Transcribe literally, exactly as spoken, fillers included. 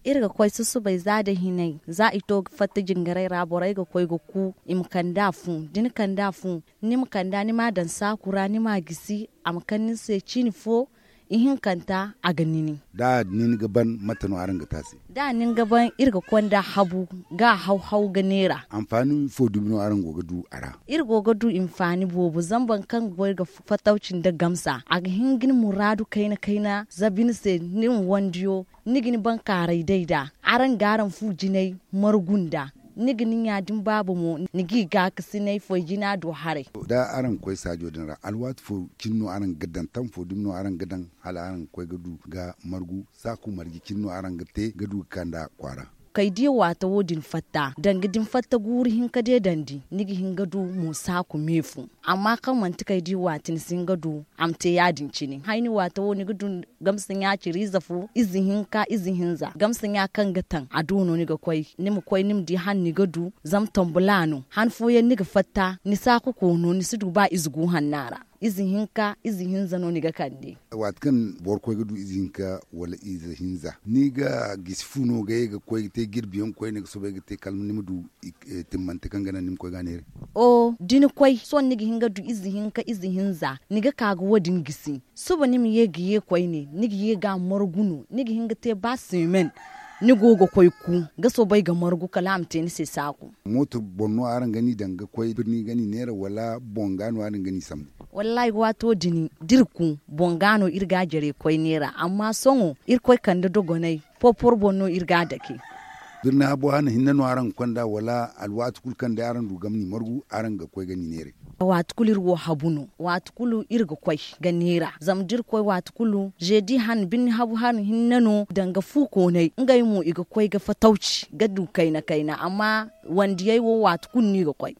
Iri ga koy susubay za da hinay za i to ga fatta jingaray ra borey ga koy ga ku i ma kand'a fu. Da ni kand'a fu, ni ma kand'a ni m'a daŋ saaku ra ni m'a gisi, a ma kande ni se ciini fo. Ihinkanta a ga nini. Da a nini ga ban mate no araŋ ga te a se? Da a nini ga ban iri ga konda habu ga a haw-haw ga neera. Anfaani fo dumi no araŋ go ga du a ra? Iri go ga du hinfaani boobo zama boro kaŋ ga goy ga fatawci nda gamsa a ga hin ga ni muraadu kayna-kayna zabi ni se. Ni ma wandiyo ni ga ni bankaaray day nd'a. Araŋ ga araŋ fu jinay margu nd'a. Ni ga ni ɲa da ni baaba mo ni g'i gaakasinay foy jina do haray. Da araŋ ga koy saajo din ra alwaati fo cine no araŋ ga daŋ tam fo dumi no araŋ ga daŋ hala araŋ ga koy ga du ga margu saaku marje cine no araŋ ga te ga du ga kand'a kwaara? Kay di waata wo- din fatta danga da ni fatta guuru hinka day dandi ni ga hin ga du mo saaku me fu. Amma kaŋ manti kay di waati ni si hin ga du a ma te ya- din cine hayni waata wo ni ga du. Gamsa ɲa ciri ize fo ize hinka ize hinza gamsa ɲa kaŋ ga taŋ a do no ni ga koy ni ma koy ni ma di han ni ga du. Zama tambula no han fooyaŋ ni ga fatta ni saaku koono ni si du ba ize gu hanna ra. Ize hinka ize hinza no ni ga kande. Waati kaŋ boro koy ga du ize hinka wala ize hinza ni ga gisi fu no ga ye ga koy ga te jirbi yaŋ koyne ga soobay ga te kala ni ma du timmante kaŋ ga naŋ ni ma koy ga a neeray? O da ni koy sohõ ni ga hin ga du ize hinka ize hinza ni ga ka ga wo- din gisi. Suba ni ma ye ga ye koyne ni ga ye ga a margu no ni ga hin ga te ba seemen. Ni go ga koy ku ga soobay ga margu kala a ma te ni se saaku. Mooto boŋ no araŋ ga ni daŋ ga koy birni ga ni neera wala boŋ ga no araŋ ga ni sambu? Wallaahi waato din da iri ku boŋ ga no iri ga a jare koy neera amma sohõ iri koy kande dogonay. Porporo boŋ no iri ga a dake. Birni habo hana hinne no araŋ ga konda wala alwaati kulu kaŋ day araŋ du ga ma ni margu araŋ ga koy ga ni neeray? Waati kulu iri wo habu no waati kulu iri ga koy ga neera zama da iri koy waati kulu zeedi han birni habu han hinne no danga fu koonay ngey mo i ga koy ga fatawci ga du kayna kayna amma wandiyey wo waati kulu no i ga koy.